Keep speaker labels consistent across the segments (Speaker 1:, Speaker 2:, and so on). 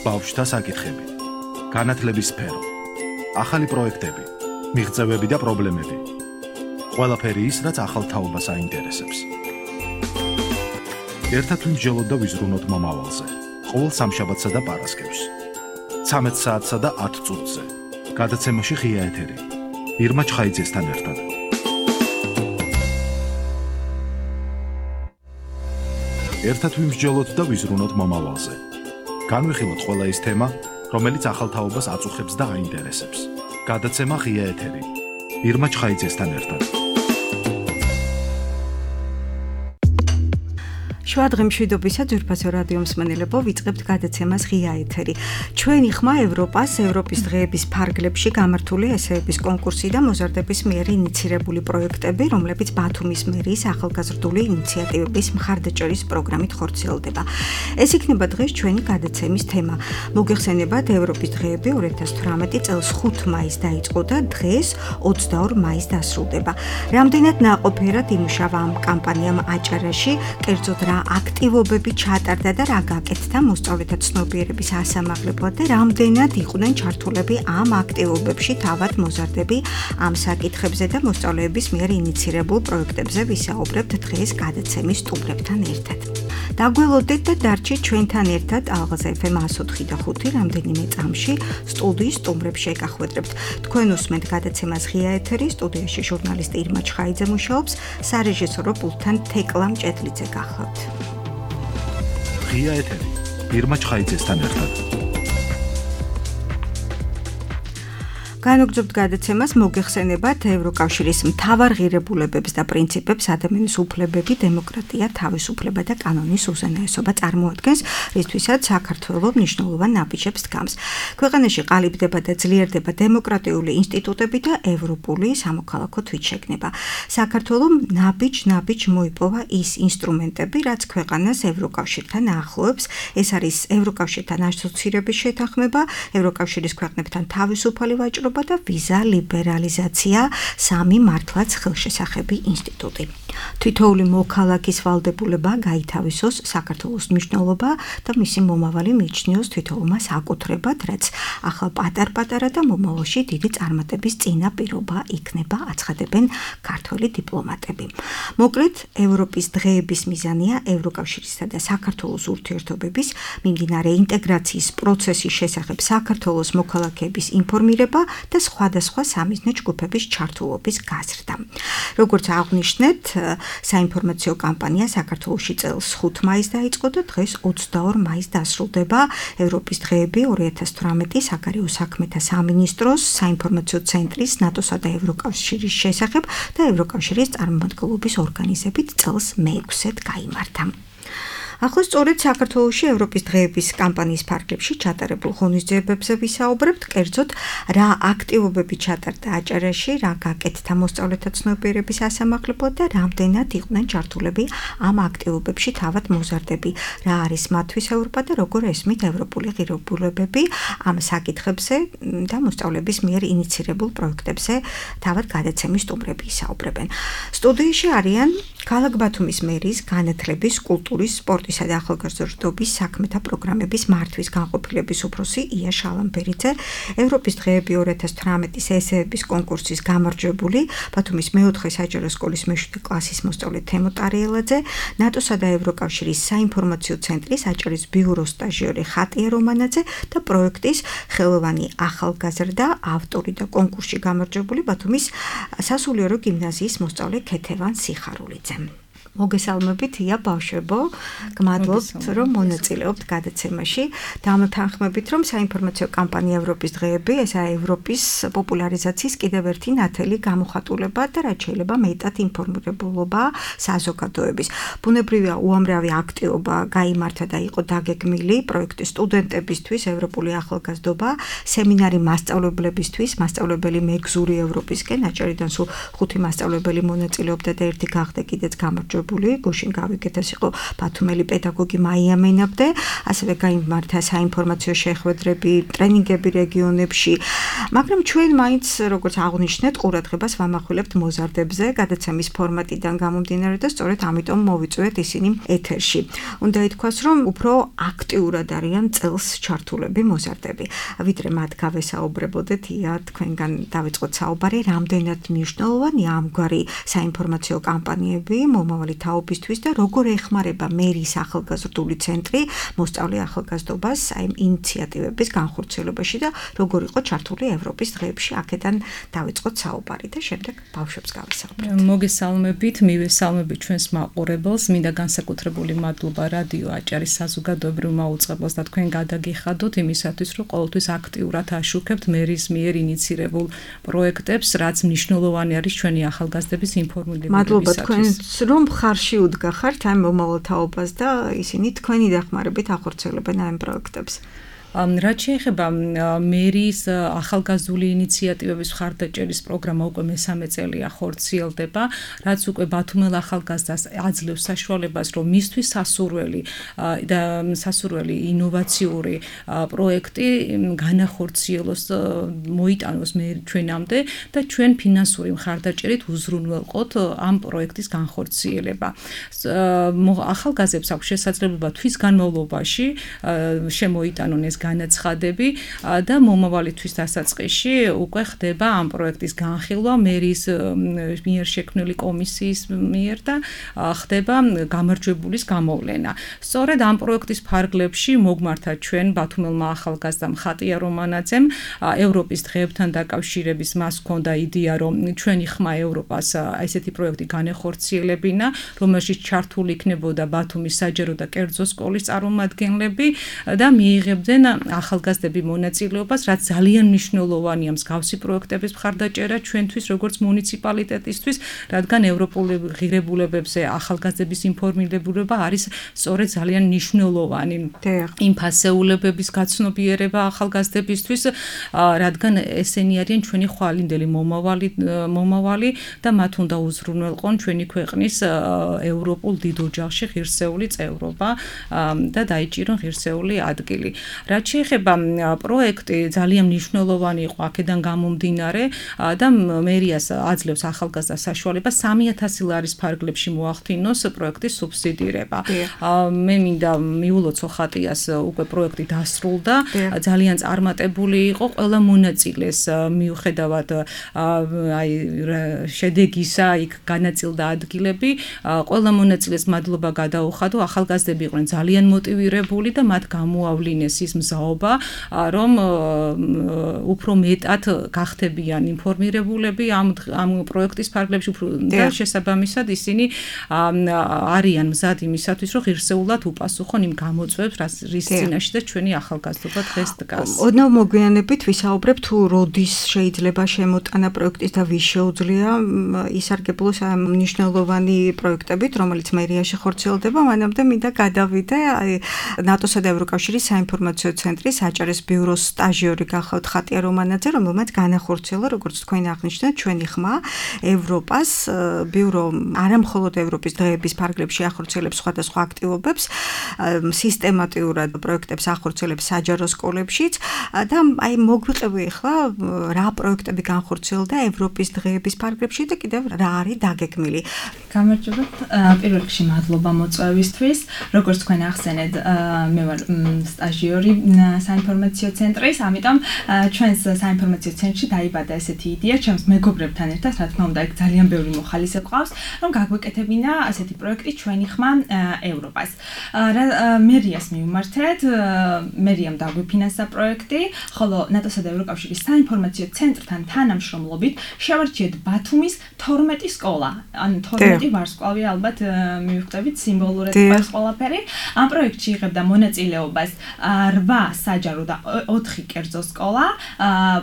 Speaker 1: ბავშვთა საკითხები, განათლების სფერო, ახალი პროექტები, მიღწევები და პრობლემები. ყველაფერი ის, რაც ახალ თაობას აინტერესებს. ერთად ვიმსჯელოთ და ვიზრუნოთ მომავალზე. ყოველ სამშაბათსა და პარასკევს. 13 საათსა და 10 წუთზე. გადაცემაში ღია ეთერი. ირმა ჩხაიძესთან ერთად. ერთად ვიმსჯელოთ და ვიზრუნოთ მომავალზე. განვიხილოთ ყველა ის თემა, რომელიც ახალ თაობას აწუხებს და აინტერესებს. გადაცემა ღია ეთერი. ირმა ჩხაიძესთან ერთად.
Speaker 2: შვადღი მშვიდობისა ძვირფასო რადიო მსმენელებო, ვიწყებთ გადაცემას ღია ეთერი. ჩვენი ხმა ევროპას, ევროპის დღეების ფარგლებში გამართული ესეების კონკურსი და მოზარდების მიერ ინიცირებული პროექტები, რომლებიც ბათუმის მერიის ახალგაზრდული ინიციატივების მხარდაჭერის პროგრამით ხორციელდება. ეს იქნება დღეს ჩვენი გადაცემის თემა. მოგეხსენებათ, ევროპის დღეები 2018 წელს 5 მაისს დაიწყო და დღეს 22 მაისს დასრულდება. რამდენად ნაყოფიერად იმუშავა ამ კამპანიამ აჭარაში, კერძოდ რა აქტივობები ჩატარდა და რა გაკეთდა მოსწავლეთა ცნობიერების ასამაღლებლად და რამდენად იყვნენ ჩართულები ამ აქტივობებში თავად მოზარდები ამ საკითხებზე და მოსწავლეების მიერ ინიცირებულ პროექტებზე ვისაუბრებთ დღეს გადაცემის სტუმრებთან ერთად. დაგველოდეთ და დარჩით ჩვენთან ერთად ალღაზ FM 104 და 5 რამდენიმე წამში სტუდიის სტუმრებს შეგახვედრებთ. თქვენ უსმენთ გადაცემას ღია ეთერი, სტუდიაში ჟურნალისტი ირმა ჩხაიძე მუშაობს, სარეჟისორო პულტთან თეკლა მჭედლიძე გახლავთ.
Speaker 1: ღია ეთერი. ირმა ჩხაიძესთან ერთად.
Speaker 2: განვაგრძობთ გადაცემას, მოგეხსენებათ ევროკავშირის მთავარ ღირებულებებს და პრინციპებს ადამიანის უფლებები, დემოკრატია, თავისუფლება და კანონის უზენაესობა წარმოადგენს, რისთვისაც საქართველოს მნიშვნელოვან ნაბიჯებს დგამს. ქვეყანაში ყალიბდება და ძლიერდება დემოკრატიული ინსტიტუტები და ევროპული სამოქალაქო თვითშეგნება. საქართველოს ნაბიჯ მოიპოვა ის ინსტრუმენტები, რაც ქვეყანას ევროკავშირთან აახლოებს. ეს არის ევროკავშირთან ასოცირების შეთანხმება, ევროკავშირის ქვეყნებთან თავისუფალი ვაჭრობა და ვიზა ლიბერალიზაცია, სამი მართლაც ხელშესახები ინსტიტუტი. თითოეული მოქალაქის ვალდებულება გაითავისოს საქართველოს მნიშვნელობა და მისი მომავალი მიიჩნიოს თითოეულმა საკუთრებად, რაც ახლა პატარ-პატარა და მომავალში დიდი წარმატების წინაპირობა იქნება, აცხადებენ ქართველი დიპლომატები. მოკლედ, ევროპის დღეების მიზანია ევროკავშირისა და საქართველოს ურთიერთობების მიმდინარე ინტეგრაციის პროცესის შესახებ საქართველოს მოქალაქეების ინფორმირება და სხვადასხვა სამიზნე ჯგუფების ჩართულობის გაზრდა. როგორც აღვნიშნეთ, საინფორმაციო კამპანია საქართველოში წელს 5 მაისს დაიწყო და დღეს 22 მაისს დასრულდება. ევროპის დღეები 2018 საგარეო საქმეთა სამინისტროს, საინფორმაციო ცენტრის, ნატოსა და ევროკავშირის შესახებ და ევროკავშირის წარმომადგენლობის ორგანიზებით წელს მე-6-ად გაიმართა. ახლა სწორედ საქართველოში ევროპის დღეების კამპანიის ფარგლებში ჩატარებულ ღონისძიებებზე ვისაუბრებთ, კერძოდ რა აქტივობები ჩატარდა აჭარაში, რა გაკეთდა მოსწავლეთა ცნობიერების ასამაღლებლად და რამდენად იყვნენ ჩართულები ამ აქტივობებში თავად მოზარდები, რა არის მათთვის ევროპა და როგორ ესმით ევროპული ღირებულებები ამ საკითხებზე და მოსწავლეების მიერ ინიცირებულ პროექტებზე თავად გადაცემის სტუმრები ისაუბრებენ. სტუდიაში არიან ქალაქ ბათუმის მერიის განათლების, კულტურის, სპორტისა და ახალგაზრდობის საქმეთა პროგრამების მართვის განყოფილების უფროსი ია შალამბერიძე, ევროპის დღეები 2018 ესეების კონკურსის გამარჯვებული, ბათუმის მე-4 საჯარო სკოლის მე-7 კლასის მოსწავლე თემო ტარიელაძე, ნატოსა და ევროკავშირის საინფორმაციო ცენტრის აჭარის ბიუროს სტაჟიორი ხატია რომანაძე და პროექტის ხელოვანი ახალგაზრდა, ავტორი და კონკურსში გამარჯვებული ბათუმის სასულიერო გიმნაზიის მოსწავლე ქეთევან სიხარულიძე. მოგესალმებით, ია ბავშვებო, გმადლობთ, რომ მონაწილეობთ გადაცემაში. დამთანხმებით, რომ საინფორმაციო კამპანია ევროპის დღეები, ესაა ევროპის პოპულარიზაციის კიდევ ერთი ნათელი გამოხატულება და რაც შეიძლება მეტად ინფორმირებულობა საზოგადოების. ბუნებრივია უამრავი აქტივობა გაიმართა და იყო დაგეგმილი პროექტი სტუდენტებისთვის, ევროპული ახალგაზრდობა, სემინარი მასწავლებლებისთვის, მასწავლებელი მეგზური ევროპისკენ, აჭარიდან სულ 5 მასწავლებელი მონაწილეობდა და ერთი გახდა კიდეც გამარჯვებული. განხორციელებული, გუშინ გავიგეთ, ეს იყო ბათუმელი პედაგოგი მაია მენაბდე, ასევე გაიმართა საინფორმაციო შეხვედრები, ტრენინგები რეგიონებში, მაგრამ ჩვენ მაინც როგორც აღნიშნეთ, ყურადღებას ვამახვილებთ მოზარდებზე, გადაცემის ფორმატიდან გამომდინარე და სწორედ ამიტომ მოვიწვიეთ ისინი ეთერში. უნდა ითქვას, რომ უფრო აქტიურად არიან წელს ჩართულები მოზარდები. ვიდრე მათ გავესაუბრებოდეთ, ია თქვენგან დავიწყოთ საუბარი, რამდენად მნიშვნელოვანია ამგვარი საინფორმაციო კამპანიები მომავალი თაობისთვის და როგორ ეხმარება მერის ახალგაზრდული ცენტრი მოსწავლე ახალგაზრდობას აი ინიციატივების განხორციელებაში და როგორ იყო ჩართული ევროპის დღეებში. აქედან დავიწყოთ საუბარი და შემდეგ ბავშვებს გავესაუბრებთ.
Speaker 3: მოგესალმებით, მივესალმებით ჩვენს მაყურებელს, მინდა განსაკუთრებული მადლობა რადიო აჭარის საზოგადოებრივმა უწყებელს და თქვენ გადაგიხადოთ იმისათვის, რომ ყოველთვის აქტიურად აშუქებთ მერის მიერ ინიცირებულ პროექტებს, რაც მნიშვნელოვანი არის ჩვენი ახალგაზრდების ინფორმირებისათვის.
Speaker 2: მადლობა თქვენს, რომ ხარში უდგახართ ამ მომავალ თაობას და ისინი თქვენი დახმარებით ახორციელებენ ამ პროექტებს.
Speaker 3: რაც შეეხება მერის ახალგაზრდული ინიციატივების მხარდაჭერის პროგრამა უკვე მესამე წელია ხორციელდება, რაც უკვე ბათუმელ ახალგაზრდას აძლევს საშუალებას, რომ მისთვის სასურველი ინოვაციური პროექტი განახორციელოს, მოიტანოს ჩვენამდე და ჩვენ ფინანსური მხარდაჭერით უზრუნველყოთ ამ პროექტის განხორციელება. ახალგაზრდებს აქვს შესაძლებლობა თვის განმავლობაში შემოიტანონ ეს განაცხადები და მომავალი თვის დასაწყისში უკვე ხდება ამ პროექტის განხილვა მერის მიერ შექმნილი კომისიის მიერ და ხდება გამარჯვებულის გამოვლენა. სწორედ ამ პროექტის ფარგლებში მოგმართა ჩვენ ბათუმელმა ახალგაზრდამ ხატია რომანაძემ ევროპის დღეებთან დაკავშირების მას ჰქონდა იდეა, რომ ჩვენი ხმა ევროპას ესეთი პროექტი განეხორციელებინა, რომელშიც ჩართული იქნებოდა ბათუმის საჯარო და კერძო სკოლის წარმომადგენლები და მიიღებდნენ ახალგაზრდები მონაწილეობას, რაც ძალიან მნიშვნელოვანია მსგავსი პროექტების მხარდაჭერა ჩვენთვის, როგორც მუნიციპალიტეტისთვის, რადგან ევროპული ღირებულებებზე ახალგაზრდების ინფორმირება არის სწორედ ძალიან მნიშვნელოვანი. იმ ფასეულებების გაცნობიერება ახალგაზრდებისთვის, რადგან ესენი არიან ჩვენი ხვალინდელი მომავალი და მათ უნდა უზრუნველყონ ჩვენი ქვეყნის ევროპულ დიდ ოჯახში ღირსეული წევრობა და დაიჭირონ ღირსეული ადგილი. რაც შეეხება პროექტი ძალიან მნიშვნელოვანი იყო აქედან გამომდინარე და მერიას აძლევს ახალგაზრდას საშუალებას 3000 ლარის ფარგლებში მოახდინოს პროექტის სუბსიდირება. მე მინდა მიულოცო ხატიას უკვე პროექტი დასრულდა, ძალიან წარმატებული იყო ყველა მონაწილეს მიუხედავად შედეგისა, იქ განაწილდა ადგილები, ყველა მონაწილეს მადლობა გადაუხადო, ახალგაზრდები იყვნენ ძალიან მოტივირებული და მათ გამოავლინეს ის მზაობა, რომ უფრო მეტად გახდებიან ინფორმირებულები ამ პროექტის ფარგლებში და შესაბამისად ისინი არიან მზად იმისათვის, რომ ღირსეულად უპასუხონ იმ გამოწვევებს, რის წინაშე და ჩვენი ახალგაზრდობა დღეს დგას.
Speaker 2: ოდნავ მოგვიანებით ვისაუბრებ თუ როდის შეიძლება შემოტანა პროექტის და ვის შეუძლია ისარგებლოს ამ მნიშვნელოვანი პროექტებით, რომელიც მერიაში ხორციელდება, მანამდე მინდა გადავიდე ნატოსა და ევროკავშირის საინფორმაციო ცენტრის აჭარის ბიუროს სტაჟიორი გახავთ ხატია რომანაძე, რომელმაც განახორციელა, როგორც თქვენ აღნიშნეთ, ჩვენი ხმა ევროპას ბიურო არამხოლოდ ევროპის დღეების ფარგლებში ახორციელებს სხვადასხვა აქტივობებს, სისტემატიურად პროექტებს ახორციელებს საჯარო სკოლებშიც და აი მოგვიყევი ახლა რა პროექტები განხორციელდა ევროპის დღეების ფარგლებში და კიდევ რა არის დაგეგმილი.
Speaker 4: გამარჯობათ, პირველ რიგში მადლობა მოწვევისთვის. როგორც თქვენ ახსენეთ, მე ვარ სტაჟიორი საინფორმაციო ცენტრის, ამიტომ ჩვენს საინფორმაციო ცენტრში დაიბადა ესეთი იდეა, ჩემს მეგობრებთან ერთად, რა თქმა უნდა, იქ ძალიან ბევრი მოხალისე გვყავს, რომ გაგვეკეთებინა ესეთი პროექტი ჩვენი ხმა ევროპას. მერიას მივმართეთ, მერიამ დაგვიფინანსა პროექტი, ხოლო ნატოსა და ევროკავშირის საინფორმაციო ცენტრთან თანამშრომლობით შევარჩიეთ ბათუმის 12 სკოლა. ან 12 ვარსკვლავი ალბათ მივხვდებით სიმბოლურად ყავს ყველაფერი. ამ პროექტში იღებდა მონაწილეობას 8 8 საჯარო და 4 კერძო სკოლა.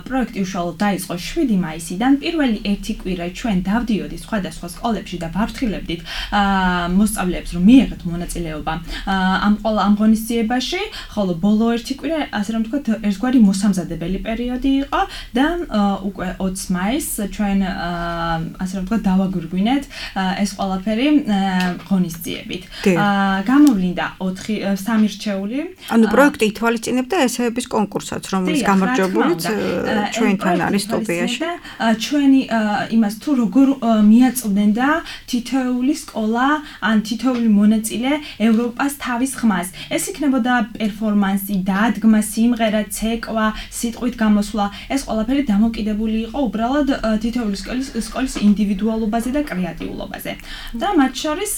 Speaker 4: პროექტი უშუალოდ დაიწყო 7 მაისიდან. პირველი ერთი კვირა ჩვენ დავდიოდით სხვადასხვა სკოლებში და ვაფრთხილებდით მოსწავლეებს, რომ მიიღეთ მონაწილეობა ამ ღონისძიებაში, ხოლო ბოლო ერთი კვირა, ასე რომ ვთქვათ, ერთგვარი მოსამზადებელი პერიოდი იყო და უკვე 20 მაისს ჩვენ ასე რომ ვთქვათ, დავაგვირგვინეთ ეს ყველაფერი ღონისძიებით. გამოვლინდა 3 რჩეული.
Speaker 2: ანუ პროექტი ითვალისწინებდა ესეების კონკურსაც, რომელიც გამარჯვებულიც ჩვენთან არის სტუდიაში.
Speaker 4: ჩვენი იმას თუ როგორ მიაწვდნენ და თითოეული სკოლა ან თითოეული მონაწილე ევროპას თავის ხმას. ეს იქნებოდა პერფორმანსი, დადგმა, სიმღერა, ცეკვა, სიტყვით გამოსვლა. ეს ყველაფერი დამოკიდებული იყო უბრალოდ თითოეული სკოლის ინდივიდუალობაზე და კრეატიულობაზე. და მათ შორის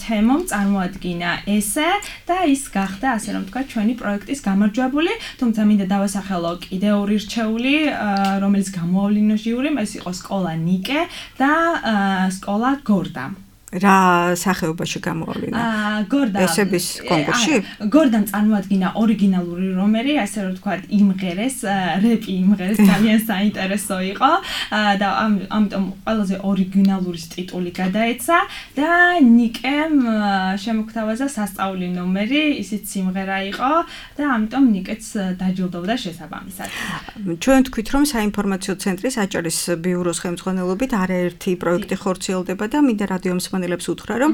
Speaker 4: თემომ წარმოადგინა ესე და ის გახდა, ასე რომ ვთქვათ, ჩვენი პროექტის გამარჯვებული, თუმცა მინდა დავასახელო კიდევ 2 რჩეული, რომელიც გამოავლინა ჟიური, ეს იყო სკოლა ნიკე და სკოლა გორდა.
Speaker 2: რა სახეობაში გამოავლინა?
Speaker 4: გორდა
Speaker 2: ესების კონკურსში?
Speaker 4: გორდამ წარმოადგინა ორიგინალური რომერი, ასე რომ ვთქვათ, იმღერეს, რეპი იმღერეს, ძალიან საინტერესო იყო და ამიტომ ყველაზე ორიგინალური ტიტული გადაეცა და ნიკემ შემოგთავაზა სასწაული ნომერი, ისიც სიმღერა იყო და ამიტომ ნიკეც დაჯილდოვდა შესაბამისად.
Speaker 2: ჩვენ თქვით, რომ საინფორმაციო ცენტრის აჭარის ბიუროს ხელმძღვანელობით არაერთი პროექტი ხორციელდება და მინდა რადიო მსმენელებს უთხრა, რომ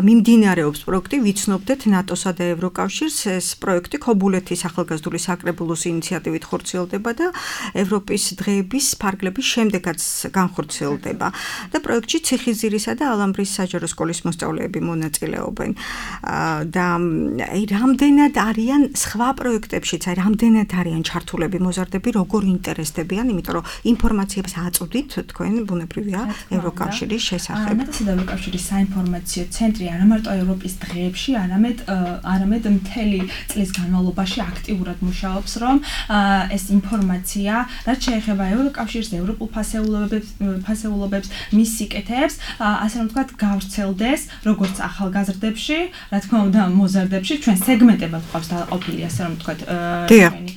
Speaker 2: მიმდინარეობს პროექტი ვიცნობდეთ ნატოსა და ევროკავშირს. ეს პროექტი ქობულეთის ახალგაზრდული საკრებულოს ინიციატივით ხორციელდება და ევროპის დღეების ფარგლების შემდეგაც განხორციელდება. და პროექტში ციხისძირისა და ალამბრის საჯარო სკოლის მოსწავლეები მონაწილეობენ. და რამდენად არიან სხვა პროექტებშიც, რამდენად არიან ჩართულები მოზარდები, როგორ ინტერესდებიან, იმიტომ რომ ინფორმაციებს აწვდით თქვენ ბუნებრივია ევროკავშირის შესახებ.
Speaker 4: ევროკავშირის საინფორმაციო ცენტრი არა მარტო ევროპის დღეებში, არამედ მთელი წლის განმავლობაში აქტიურად მუშაობს, რომ ეს ინფორმაცია, რაც შეეხება ევროკავშირს, ევროპულ ფასეულობებს, მის სიკეთეებს, ასე რომ ვთქვათ, გავრცელდეს როგორც ახალგაზრდებში, რა თქმა უნდა, მოზარდებში, ჩვენ სეგმენტებად გვყავს დაყოფილი, ასე რომ ვთქვათ, ჩვენი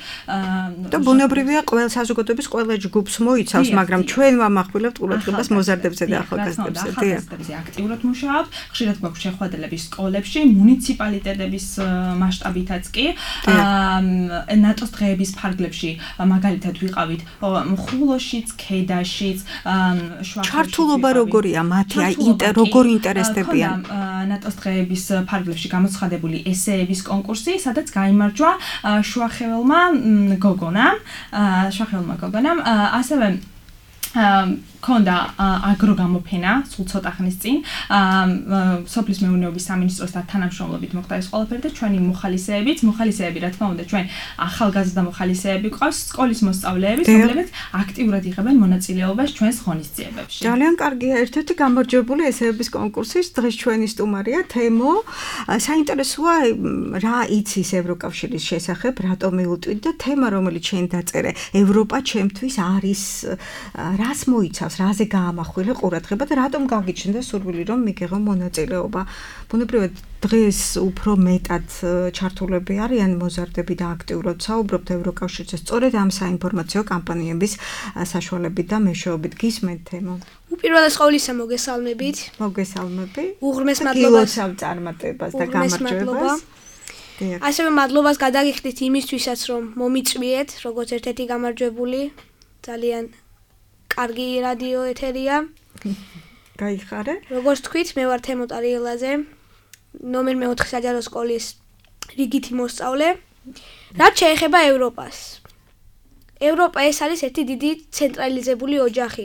Speaker 2: და ბუნებრივია ყველა საზოგადოების ყველა ჯგუფს მოიცავს, მაგრამ ჩვენ ვამახვილებთ ყურადღებას მოზარდებზე და ახალგაზრდებზე.
Speaker 4: აქტიურად მუშაობთ, ხშირად გვაქვს შეხვედრები სკოლებში, მუნიციპალიტეტების მასშტაბითაც კი, ნატოს დღეების ფარგლებში მაგალითად ვიყავით ხულოშიც, ქედაშიც, შვახეთშიც.
Speaker 2: ჩართულობა როგორია მათი, როგორ ინტერესდებიან?
Speaker 4: ნატოს დღეების ფარგლებში გამოცხადებული ესეების კონკურსი, სადაც გაიმარჯვა შვახეველმა გოგონამ, ასევე ქონდა აგროგამოფენა სულ ცოტა ხნის წინ სოფლის მეურნეობის სამინისტროს თანამშრომლობით მოხდა ეს ყველაფერი და ჩვენი მოხალისეები რა თქმა უნდა ჩვენ ახალგაზრდა მოხალისეები ყავს სკოლის მოსწავლეები რომლებიც აქტიურად იღებენ მონაწილეობას ჩვენს ღონისძიებებში.
Speaker 2: ძალიან კარგია, ერთ-ერთი გამარჯვებული ესეების კონკურსის დღეს ჩვენი სტუმარია თემო. საინტერესოა რა იცის ევროკავშირის შესახებ, რატომ მიუტვით და თემა რომელიც შენ დაწერე ევროპა ჩემთვის არის რას მოიცავს, რაზე გაამახვილე ყურადღება და რატომ გაგიჩნდა სურვილი რომ მიგეღო მონაწილეობა. ბუნებრივად დღეს უფრო მეტად ჩართულები არიან მოზარდები და აქტიურად საუბრობთ ევროკავშირზე სწორედ ამ საინფორმაციო კამპანიების საშუალებით და მეშვეობით. გისმენთ თემო?
Speaker 5: უპირველეს ყოვლისა მოგესალმებით.
Speaker 2: მოგესალმები.
Speaker 5: უღრმეს მადლობას
Speaker 2: წარმატებას და გამარჯვებას.
Speaker 5: ასევე მადლობას გადაგიხდით იმისთვისაც რომ მომიწვიეთ როგორც ერთ-ერთი გამარჯვებული. ძალიან კარგი რადიო ეთერია.
Speaker 2: გაიხარე.
Speaker 5: როგორც თქვით, მე ვარ თემო ტარიელაძე, ნომერ 4 საჯარო სკოლის რიგითი მოსწავლე. რაც შეეხება ევროპას. ევროპა ეს არის ერთი დიდი ცენტრალიზებული ოჯახი,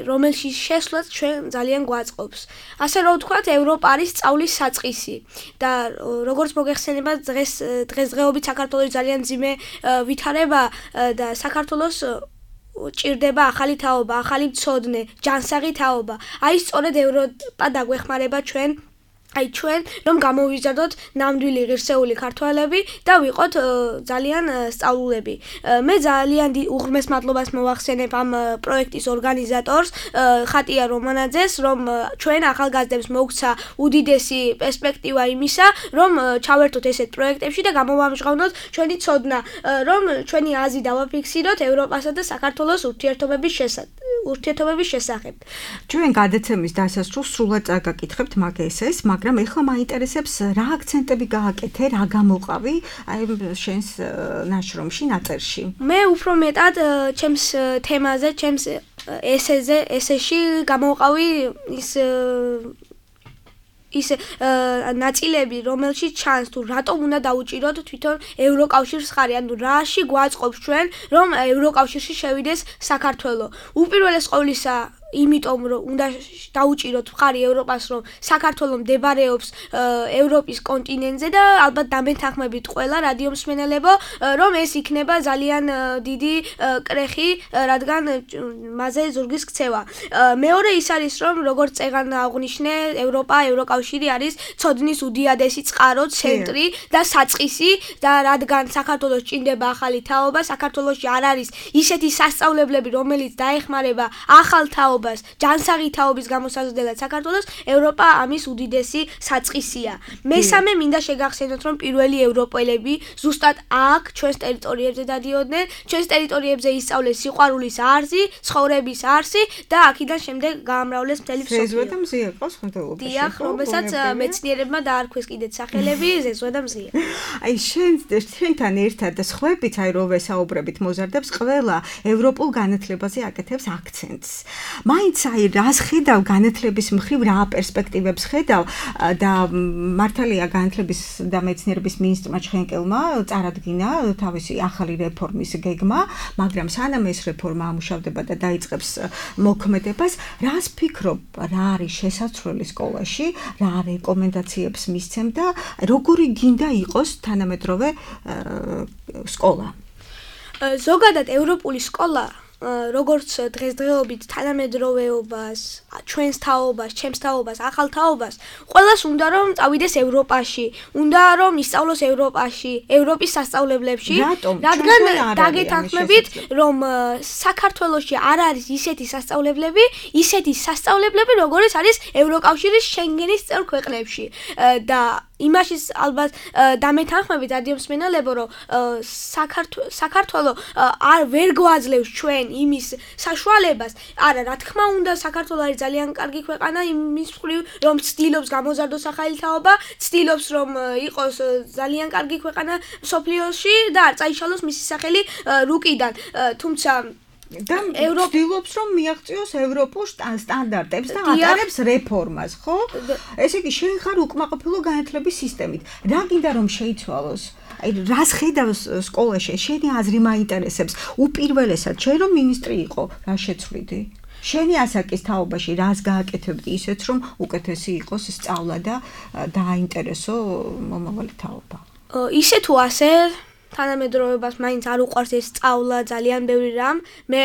Speaker 5: რომელშიც შესვლაც ჩვენ ძალიან გვაწყობს. ასე რომ ვთქვათ, ევროპა არის სწავლის საწყისი და როგორც მოგეხსენება დღესდღეობით საქართველოს ძალიან ძიმე ვითარება და საქართველოს ჭირდება ახალი თაობა, ახალი მცოდნე, ჯანსაღი თაობა. აი სწორედ ევროპა დაგვეხმარება ჩვენ აი ჩვენ რომ გამოვიზარდოთ ნამდვილი ღირსეული ქართველები და ვიყოთ ძალიან სწავლულები. მე ძალიან უღრმეს მადლობას მოვახსენებ ამ პროექტის ორგანიზატორს ხატია რომანაძეს, რომ ჩვენ ახალგაზრდებს მოგცა უდიდესი პერსპექტივა იმისა, რომ ჩავერთოთ ესეთ პროექტებში და გამოვამჟღავნოთ ჩვენი ცოდნა, რომ ჩვენი აზრი დავაფიქსიროთ ევროპასა და საქართველოს ურთიერთობების შესახებ.
Speaker 2: ჩვენ გადაცემის დასასრულს სრულად წაგაკითხებთ მაგ ესეს, მაგრამ ეხლა მაინტერესებს რა აქცენტები გააკეთე, რა გამოყავი აი შენს ნაშრომში, ნაწერში.
Speaker 5: მე უფრო მეტად ჩემს თემაზე, ჩემს ესეში გამოვყავი ის ნაწილები, რომელშიც ჩანს თუ რატომ უნდა დაუჭიროთ თვითონ ევროკავშირს ხარი, ანუ რაში გვაწყობს ჩვენ, რომ ევროკავშირში შევიდეს საქართველო. უპირველეს ყოვლისა იმიტომ რომ უნდა დაუჭიროთ ხარი ევროპას, რომ საქართველო მდებარეობს ევროპის კონტინენტზე და ალბათ დამეთანხმებით ყველა რადიო მსმენელებო, რომ ეს იქნება ძალიან დიდი კრეხი, რადგან მასზე ზურგის ქცევა. მეორე ის არის, რომ როგორც წეგან აღნიშნე, ევროკავშირი არის ცოდნის უდიადესი წყარო, ცენტრი და საწყისი და რადგან საქართველოს ჭინდება ახალი თაობა, საქართველოში არ არის ისეთი სასწავლებლები, რომელიც დაეხმარება ახალ თაობას ჯანსაღი თაობის გამოსაზრდელად საქართველოს, ევროპა ამის უდიდესი საწყისია. მესამე მინდა შეგახსენოთ, რომ პირველი ევროპელები ზუსტად აქ ჩვენს ტერიტორიებზე დადიოდნენ, ჩვენს ტერიტორიებზე ისწავლეს სიყვარულის არსი, ცხოვრების არსი და აქედან შემდეგ გაამრავლეს მთელი მსოფლიო.
Speaker 2: ზეზვა და მზია ყავს ხმელთაშუა.
Speaker 5: დიახ, რომელსაც მეცნიერებმა დაარქვეს კიდეც სახელები ზეზვა და მზია.
Speaker 2: აი შენთან ერთად და სხვაებიც აი რო ვესაუბრებით მოზარდებს, ყველა ევროპულ განათლებაზე აკეთებს აქცენტს. მაინც აი რას ხედავ განათლების მხრივ, რა პერსპექტივებს ხედავ და მართალია განათლების და მეცნიერების მინისტრმა ჩხენკელმა წარადგინა თავისი ახალი რეფორმის გეგმა, მაგრამ სანამ ეს რეფორმა ამუშავდება და დაიწყებს მოქმედებას, რას ფიქრობ, რა არის შესაძლებელი სკოლაში, რა რეკომენდაციებს მისცემ და როგორი გინდა იყოს თანამედროვე სკოლა?
Speaker 5: ზოგადად ევროპული სკოლა როგორც დღესდღეობით თანამედროვეობას, ჩვენს თაობას, ჩემს თაობას, ახალ თაობას, ყველას უნდა რომ წავიდეს ევროპაში, უნდა რომ ისწავლოს ევროპაში, ევროპის სასწავლებლებში, რადგან დაგეთანხმებით, რომ საქართველოში არ არის ისეთი სასწავლებლები, როგორიც არის ევროკავშირის შენგენის წევრ ქვეყნებში და იმაშიც ალბათ დამეთანხმებით რადიო მსმენელებო, რომ საქართველო არ ვერ გვაძლევს ჩვენ იმის საშუალებას. არა, რა თქმა უნდა, საქართველო არის ძალიან კარგი ქვეყანა იმის მხრივ, რომ ცდილობს გამოზარდოს ახალი თაობა, ცდილობს რომ იყოს ძალიან კარგი ქვეყანა მსოფლიოში და არ წაიშალოს მისი სახელი რუკიდან. თუმცა
Speaker 2: და ცდილობს რომ მიაღწიოს ევროპულ სტანდარტებს და ატარებს რეფორმას, ხო? ესე იგი, შენ ხარ უკმაყოფილო განათლების სისტემით. რა გინდა რომ შეიცვალოს? აი, რას ხედავს სკოლაში? შენი აზრი მაინტერესებს. უპირველესად, შენ რომ მინისტრი იყო, რა შეცვლიდი? შენი ასაკის თაობაში რას გააკეთებდი ისეთ, რომ უკეთესი იყოს სწავლა და დააინტერესო მომავალი თაობა?
Speaker 5: ისე თუ ასე თანამედროვეობას მაინც არ უყვარს ეს სწავლა, ძალიან ბევრი რამ. მე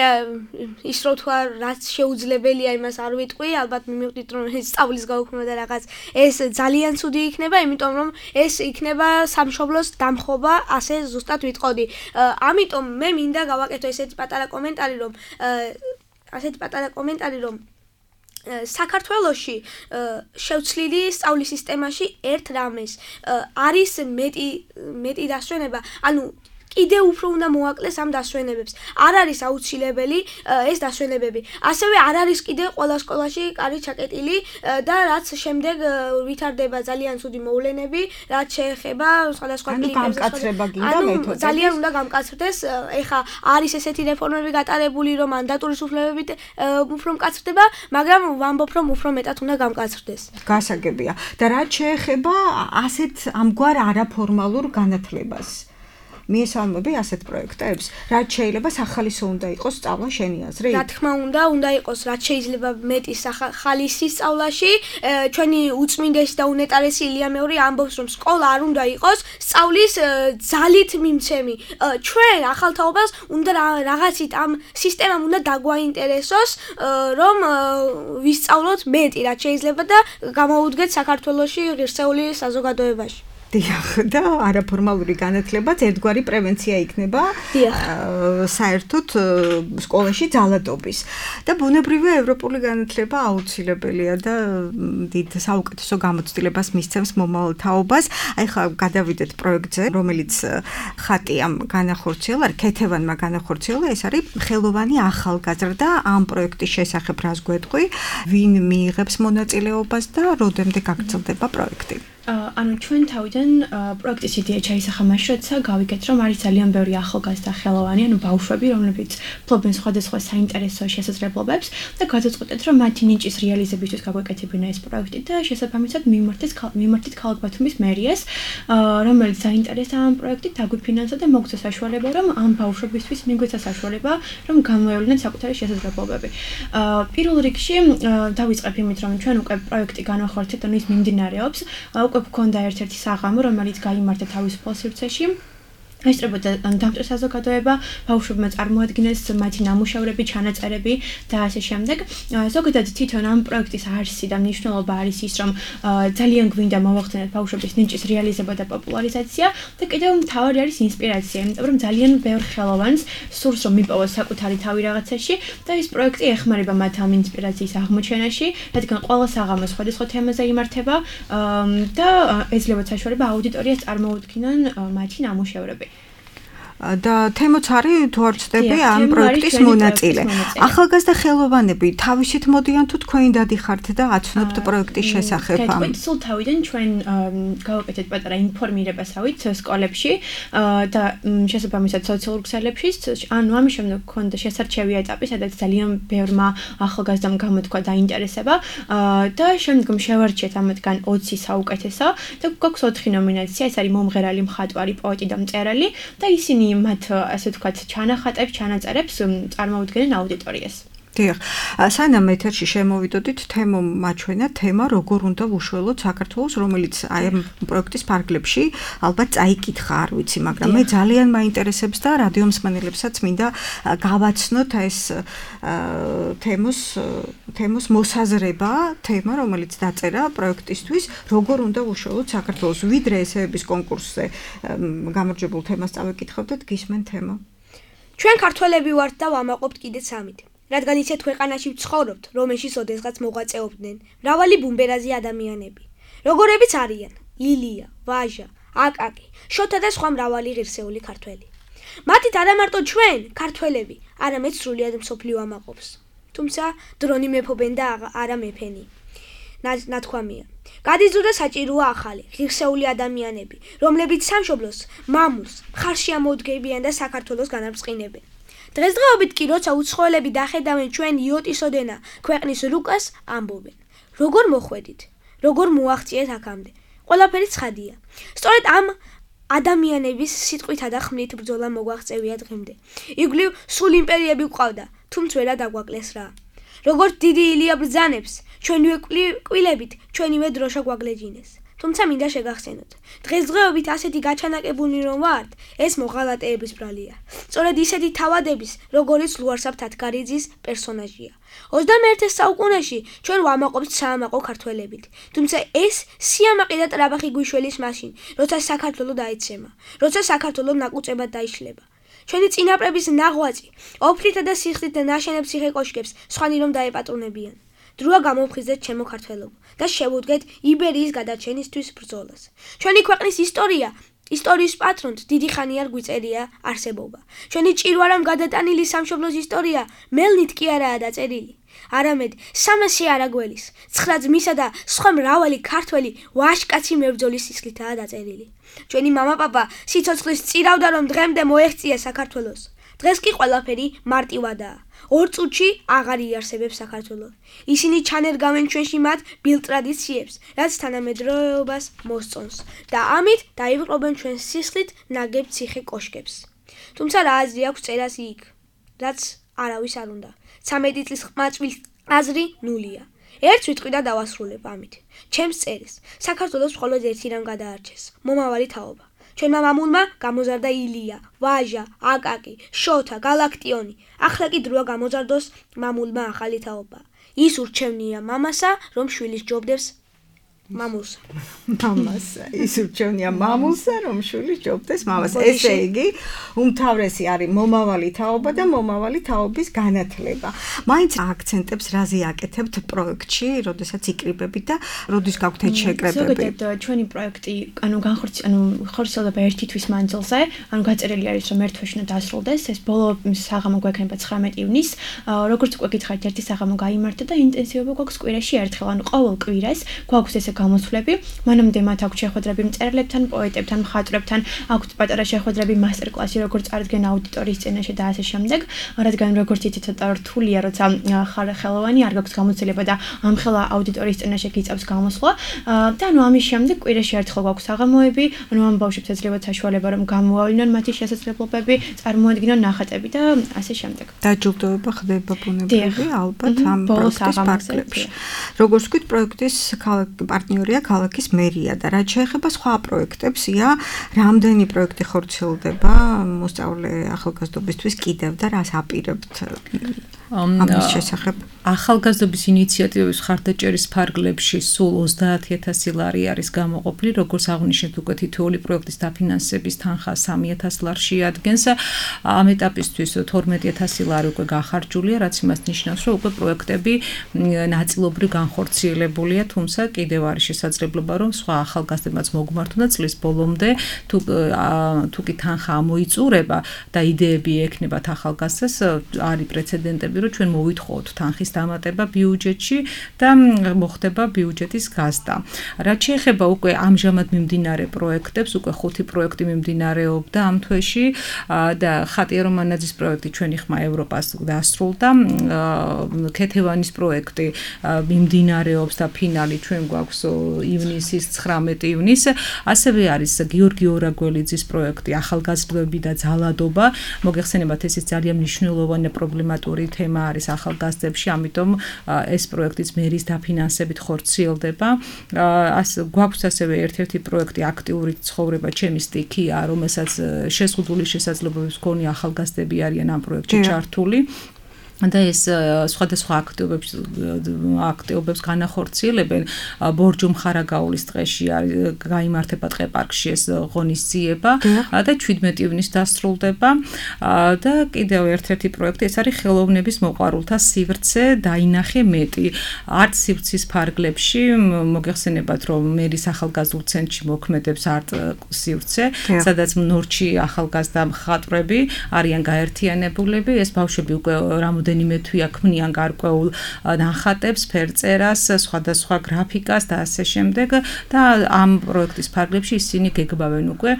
Speaker 5: ის რო თქვა, რაც შეუძლებელია, იმას არ ვიტყვი, ალბათ მივხვდით, რომ ეს სწავლის გაუქმება და რაღაც ეს ძალიან ცუდი იქნება, იმიტომ რომ ეს იქნება სამშობლოს დამხობა, ასე ზუსტად ვიტყოდი. ამიტომ მე მინდა გავაკეთო ესეთი პატარა კომენტარი, რომ საქართველოში შევცლიდი სწავლის სისტემაში ერთ რამეს არის მეტი დასვენება, ანუ კიდევ უფრო უნდა მოაკლეს ამ დასვენებებს. არ არის აუცილებელი ეს დასვენებები. ასევე არ არის კიდე ყველა სკოლაში კარი ჩაკეტილი და რაც შემდეგ ვითარდება ძალიან ცუდი მოვლენები, რაც შეეხება სხვადასხვა კლიპებს. ძალიან უნდა გამკაცრდეს. ეხა არის ესეთი რეფორმები გატარებული, რომ მანდატურის უფლებებით უფრო მკაცრდება, მაგრამ ვამბობ, რომ უფრო მეტად უნდა გამკაცრდეს.
Speaker 2: გასაგებია. და რაც შეეხება ასეთ ამგვარ არაფორმალურ განათლებას. მიესალმები ასეთ პროექტებს? რაც შეიძლება სახალისო უნდა იყოს სწავლა შენი აზრით?
Speaker 5: რა თქმა უნდა იყოს რაც შეიძლება მეტი ხალისი სწავლაში. ჩვენი უწმინდესი და უნეტარესი ილია მეური ამბობს რომ სკოლა არ უნდა იყოს სწავლის ძალით მიმცემი. ჩვენ ახალთაობას უნდა რაღაცით ამ სისტემამ უნდა დაგვაინტერესოს რომ ვისწავლოთ მეტი რაც შეიძლება და გამოვუდგეთ საქართველოში ღირსეული საზოგადოებაში.
Speaker 2: დიახ, და არაფორმალური განათლებაც ერთგვარი პრევენცია იქნება საერთოდ სკოლაში ძალადობის. და ბუნებრივია ევროპული განათლება აუცილებელია და დიდ საუკეთესო გამოცდილებას მისცემს მომავალ თაობას. აი ხა გადავიდეთ პროექტზე, რომელიც ხატიამ განახორციელა, ქეთევანმა განახორციელა, ეს არის ხელოვანი ახალგაზრდა. ამ პროექტის შესახებ რას გვეტყვი, ვინ მიიღებს მონაწილეობას და როდემდე გაგრძელდება პროექტი?
Speaker 6: ანუ ჩვენ თავიდან პროექტის იდეა ჩაისახა მაშინ, როცა გავიგეთ, რომ არის ძალიან ბევრი ახალგაზრდა ხელოვანი, ანუ ბავშვები, რომლებიც ფლობენ სხვადასხვა საინტერესო შესაძლებლობებს და გადაწყვეტეთ, რომ მათი ნიჭის რეალიზებისთვის გაგვეკეთებინა ეს პროექტი და შესაბამისად მიმართეთ ქალაქ ბათუმის მერიას, რომელიც საინტერესა ამ პროექტით დაგვიფინანსა და მოგცა საშუალება, რომ ამ ბავშვებისთვის მიგვეცა საშუალება, რომ გამოევლინოთ საკუთარი შესაძლებლობები. პირველ რიგში დავიწყებ იმით, რომ ჩვენ უკვე პროექტი განვახორციელებთ, ანუ ის მიმდინარეობს. უკვე გქონდა ერთ-ერთი საღამო, რომელიც გაიმართა თავისუფალ სივრცეში. ესწრებოდა დამჭერ საზოგადოება, ბავშვებმა წარმოადგინეს მათი ნამუშევრები, ჩანაწერები და ასე შემდეგ. ზოგადად თვითონ ამ პროექტის არსი და მნიშვნელობა არის ის, რომ ძალიან გვინდა მოვახდინოთ ბავშვების ნიჭის რეალიზება და პოპულარიზაცია და კიდევ მთავარი არის ინსპირაცია, იმიტომ რომ ძალიან ბევრ ხელოვანს სურს რომ მიპოვოს საკუთარი თავი რაღაცაში და ეს პროექტი ეხმარება მათ ამ ინსპირაციის აღმოჩენაში, რადგან ყველა საღამო სხვადასხვა თემაზე იმართება და ეძლევათ საშუალება აუდიტორიას წარმოუდგინონ მათი ნამუშევრები.
Speaker 2: და თემოც არის თუ არ ვცდები ამ პროექტის მონაწილე. ახალგაზრდა ხელოვანები თავისით მოდიან თუ თქვენ დადიხართ და აცნობთ პროექტის შესახებ?
Speaker 6: სულ თავიდან ჩვენ გავაკეთეთ პატარა ინფორმირებასავით სკოლებში და შესაბამისად სოციალურ ქსელებში, ანუ ამის შემდეგ გქონდა შესარჩევი ეტაპი, სადაც ძალიან ბევრმა ახალგაზრდამ გამოთქვა დაინტერესება და შემდგომ შევარჩიეთ ამათგან 20 საუკეთესო და გვაქვს 4 ნომინაცია, ეს არის მომღერალი, მხატვარი, პოეტი და მწერალი და ისინი მათ ასე ვთქვათ ჩანახატებს, ჩანაწერებს წარმოუდგენენ აუდიტორიას.
Speaker 2: დიახ, სანამ ეთერში შემოვიდოდით, თემო მაჩვენა თემა როგორ უნდა ვუშველოთ საქართველოს, რომელიც აი ამ პროექტის ფარგლებში ალბათ წაიკითხა, არ ვიცი, მაგრამ მე ძალიან მაინტერესებს და რადიო მსმენელებსაც მინდა გავაცნოთ ეს თემოს მოსაზრება, თემა, რომელიც დაწერა პროექტისთვის, როგორ უნდა ვუშველოთ საქართველოს, ვიდრე ესეების კონკურსზე გამარჯვებულ თემას წავეკითხავდეთ, გისმენ თემა.
Speaker 5: ჩვენ ქართველები ვართ და ვამაყობთ კიდეც ამით. რადგან ისეთ ქვეყანაში ვცხოვრობთ, რომელშიც ოდესღაც მოღვაწეობდნენ მრავალი ბუმბერაზი ადამიანები, როგორებიც არიან ლილია, ვაჟა, აკაკი, შოთა და სხვა მრავალი ღირსეული ქართველი. მათით არა მარტო ჩვენ, ქართველები, არამედ სრულიად მსოფლიო ამაყობს. თუმცა დრონი მეფობენ და არა მეფენი. ნათქვამია. გადიზრდა საჭიროა ახალი, ღირსეული ადამიანები, რომლებიც სამშობლოს, მამულს, მხარში ამოუდგებიან და საქართველოს განარწყინებენ. დღესდღეობით კი როცა უცხოელები დახედავენ ჩვენ იოტისოდენა ქვეყნის რუკას, ამბობენ. როგორ მოხვედით? როგორ მოაღწიეთ აქამდე? ყველაფერი ცხადია. სწორედ ამ ადამიანების სიტყვითა და ხმლით ბრძოლა მოგვაღწევია დღემდე. იგვლივ სულ იმპერიები გვყავდა, თუმცა ვერა დაგვაკლეს რა. როგორც დიდი ილია ბრძანებს, ჩვენივე კვილებით, ჩვენივე დროშა გვაგლეჯინეს. თუმცა მინდა შეგახსენოთ, დღესდღეობით ასეთი გაჩანაკებული რომ ვართ, ეს მოღალატეების ბრალია. სწორედ ისეთი თავადების, როგორიც ლუარსაბ თათგარიძის პერსონაჟია. 21 საუკუნეში ჩვენ ვამაყობთ საამაყო ქართველებით. თუმცა ეს სიამაყე და ტრაბახი გვიშველის მაშინ, როცა საქართველო დაეცემა, როცა საქართველო ნაკუწებად დაიშლება. ჩვენი წინაპრების ნაღვაწი, ოფლითა და სიხლით ნაშენებ ციხე-კოშკებს სხვანი რომ დაეპატრონებიან. დროა გამოვხიზდეთ ჩემო ქართველობო და შევუდგეთ იბერიის გადარჩენისთვის ბრძოლას. ჩვენი ქვეყნის ისტორიის პატრონთ დიდი ხანი არ გვიწერია არსებობა. ჩვენი ჭირვარამ გადატანილი სამშობლოს ისტორია მელნით კი არაა დაწერილი. არამედ 300 არაგველის, 9 ძმისა და სხვა მრავალი ქართველი ვაჟკაცი მებრძოლის სისხლითაა დაწერილი. ჩვენი მამაპაპა სიცოცხლის წირავდა რომ დღემდე მოეღწია საქართველოს. დღეს კი ყველაფერი მარტივადაა. 2 წუთში აღარ იარსებებს საქართველოს. ისინი ჩანერგავენ ჩვენში მათ ბილ ტრადიციებს, რაც თანამედროვეობას მოსწონს და ამით დაივიწყობენ ჩვენს სისხლით ნაგებ ციხე კოშკებს. თუმცა რა აზრი აქვს წერას იქ, რაც არავის არ უნდა. 13 წლის ყმაწვილ აზრი ნულია. ერთ სიტყვით დავასრულებ ამით. ჩემს წერს საქართველოს მხოლოდ ერთი რამ გადაარჩეს: მომავალი თაობა. ჩვენმა მამულმა გამოზარდა ილია, ვაჟა, აკაკი, შოთა, გალაქტიონი. ახლა კი დროა გამოზარდოს მამულმა ახალი თაობა. ის ურჩევნია მამასა, რომ შვილის ჯობდებს მამულსა.
Speaker 2: მამასა, ის ურჩევნია მამულსა, რომ შვილის ჯობდეს მამასა. ესე იგი, უმთავრესი არის მომავალი თაობა და მომავალი თაობის განათლება. მაინც აქცენტებს რაზე აკეთებთ პროექტში, როდესაც იკრიბებით და როდის გაქვთ ეს შეკრებები?
Speaker 6: ზოგადად ჩვენი პროექტი, ხორციელდება 1 თვის მანძილზე, გაწერილი არის რომ 1 თვეში უნდა დასრულდეს. ეს ბოლო საღამო გვექნება 19 ივნისს. როგორც უკვე გითხარით, ერთი საღამო გაიმართა და ინტენსივობა გვაქვს კვირაში ერთხელ, ყოველ კვირას გვაქვს ესე გამოსვლები, მანამდე მათ აქვთ შეხვედრები მწერლებთან, პოეტებთან, მხატვრებთან, აქვთ პატარა შეხვედრები, მასტერკლასი, როგორც წარდგენ აუდიტორიის წინაშე და ასე შემდეგ. რადგან როგორც იცით, ცოტა რთულია, როცა ხარ ხელოვანი, არ გაქვს გამოცდილება და ამხელა აუდიტორიის წინაშე გიწევს გამოსვლა. და ამის შემდეგ კვირაში ერთხელ გვაქვს საღამოები, ამ ბავშვებს ეძლევათ საშუალება რომ გამოავლინონ მათი შესაძლებლობები, წარმოადგინონ ნახატები და ასე შემდეგ.
Speaker 2: დაჯილდოება ხდება ბუნებრივი ალბათ ამ პროექტის პარკლებში. როგორც ვთქვით, პროექტის პარტნიორია ქალაქის მერია და რაც შეეხება სხვა პროექტებს, რამდენი პროექტი ხორციელდება მოსწავლე ახალგაზრდობისთვის კიდევ და რას აპირებთ ამის შესახებ?
Speaker 3: ახალგაზრდობის ინიციატივების ხარდაჭერის ფარგლებში სულ 30,000 ლარი არის გამოყოფილი, როგორც აღნიშნეთ, უკვე თითოეული პროექტის დაფინანსების თანხა 3,000 ლარში ადგენს. ამ ეტაპისთვის 12,000 ლარი უკვე გახარჯულია, რაც იმას ნიშნავს, რომ უკვე პროექტები ნაწილობრივ განხორციელებულია, თუმცა კიდევ არის შესაძლებლობა, რომ სხვა ახალგაზრდებმაც მოგმართონ და წლის ბოლომდე თუ კი თანხა ამოიწურება და იდეები ექნებათ ახალგაზრდას, არის პრეცედენტები, რომ ჩვენ მოვითხოვოთ თანხის დამატება ბიუჯეტში და მოხდება ბიუჯეტის გაზრდა. რაც შეეხება უკვე ამჟამად მიმდინარე პროექტებს, უკვე 5 პროექტი მიმდინარეობდა ამ თვეში და ხატია რომანაძის პროექტი ჩვენი ხმა ევროპას დასრულდა. ქეთევანის პროექტი მიმდინარეობს და ფინალი ჩვენ გვაქვს ივნისის 19 ივნისს. ასევე არის გიორგი ორაგველიძის პროექტი ახალგაზრდები და ძალადობა. მოგეხსენებათ, ეს ძალიან მნიშვნელოვანი პრობლემატური თემა არის ახალგაზრდებში, ამიტომ ეს პროექტიც მერის დაფინანსებით ხორციელდება. გვაქვს ასევე ერთ-ერთი პროექტი აქტიური ცხოვრება ჩემი სტიქია, რომელსაც შეზღუდული შესაძლებლობების მქონე ახალგაზრდები არიან ამ პროექტში ჩართული. და ეს სხვადასხვა აქტივობებს განახორციელებენ. ბორჯომ ხარაგაულის დღეში გაიმართება ტყეპარკში ეს ღონისძიება და 17 ივნისს დასრულდება. და კიდევ ერთ-ერთი პროექტი, ეს არის ხელოვნების მოყვარულთა სივრცე დაინახე მეტი. არტ სივრცის ფარგლებში მოგეხსენებათ, რომ მერის ახალგაზრდულ ცენტრში მოქმედებს არტ სივრცე, სადაც ნორჩი ახალგაზრდა მხატვრები არიან გაერთიანებულები. ეს ბავშვები უკვე რამდენიმე თვეა ქმნიან გარკვეულ ნახატებს, ფერწერას, სხვადასხვა გრაფიკას და ასე შემდეგ და ამ პროექტის ფარგლებში ისინი გეგმავენ უკვე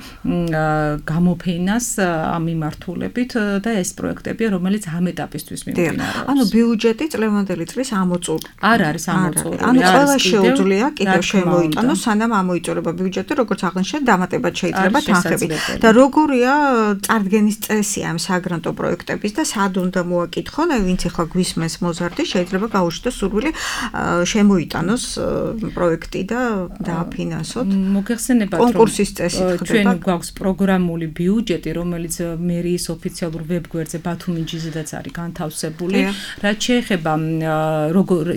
Speaker 3: გამოფენას ამ მიმართულებით და ეს პროექტებია, რომელიც ამ ეტაპისთვის მიმდინარეობს.
Speaker 2: ანუ ბიუჯეტი წლევანდელი წლის ამოწურული.
Speaker 3: არ არის ამოწურული.
Speaker 2: ანუ ყველა შეუძლია კიდევ შემოიტანოს, სანამ ამოიწურება ბიუჯეტი, როგორც აღნიშნეთ, დამატებად შეიძლება თანხები. და როგორია წარდგენის წესი ამ საგრანტო პროექტების და სად უნდა მოაკითხონ, ვინც ახლა გვისმენს მოზარდი, შეიძლება გაუშვოს სურვილი შემოიტანოს პროექტი და დააფინანსოთ.
Speaker 3: მოგეხსენებათ,
Speaker 2: კონკურსის წესი ხდება.
Speaker 3: ჩვენ გვაქვს პროგრამული ბიუჯეტი, რომელიც მერიის ოფიციალურ ვებგვერდზე ბათუმინჯიზედაც არის განთავსებული. რაც შეეხება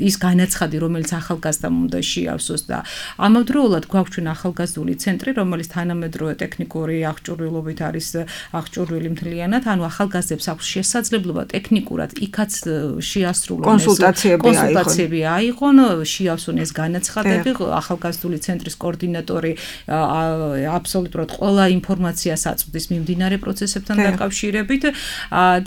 Speaker 3: ის განაცხადი, რომელიც ახალგაზრდამ უნდა შეავსოს და ამავდროულად გვაქვს ჩვენ ახალგაზრდული ცენტრი, რომელიც თანამედროვე ტექნიკური აღჭურვილობით არის აღჭურვილი მთლიანად, ანუ ახალგაზრდებს აქვს შესაძლებლობა ტექნიკურად იქ იქაც შეასრულონ
Speaker 2: კონსულტაციები
Speaker 3: აიღონ, შეავსონ ეს განაცხადები, ახალგაზრდული ცენტრის კოორდინატორი აბსოლუტურად ყველა ინფორმაციას აწვდის მიმდინარე პროცესებთან დაკავშირებით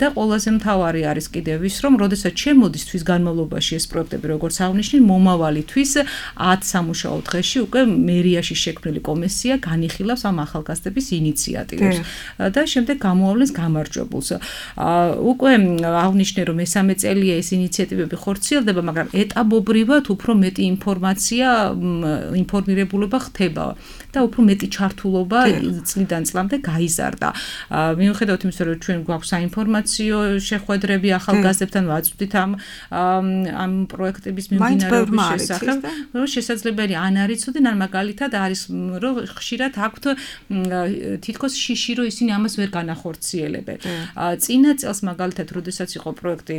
Speaker 3: და ყველაზე მთავარი არის კიდევ ის, რომ როდესაც შემოდის თვის განმავლობაში ეს პროექტები, როგორც აღნიშნე, მომავალი თვის 10 სამუშაო დღეში უკვე მერიაში შექმნილი კომისია განიხილავს ამ ახალგაზრდების ინიციატივებს და შემდეგ გამოავლენს გამარჯვებულს. უკვე აღნიშნე, რომ მესამე წელია ეს ინიციატივები ხორციელდება, მაგრამ ეტაპობრივად უფრო მეტი ინფორმირებულობა ხდება და უფრო მეტი ჩართულობა წლიდან წლამდე გაიზარდა. მიუხედავად იმისა, რომ ჩვენ გვაქვს საინფორმაციო შეხვედრები ახალგაზრდებთან, ვაწვდით ამ პროექტების მიმდინარეობის შესახებ, რომ შესაძლებელი ან არ იცოდნენ, ან მაგალითად არის, რომ ხშირად აქვთ თითქოს შიში, რომ ისინი ამას ვერ განახორციელებენ. წინა წელს მაგალითად, როდესაც იყო პროექტი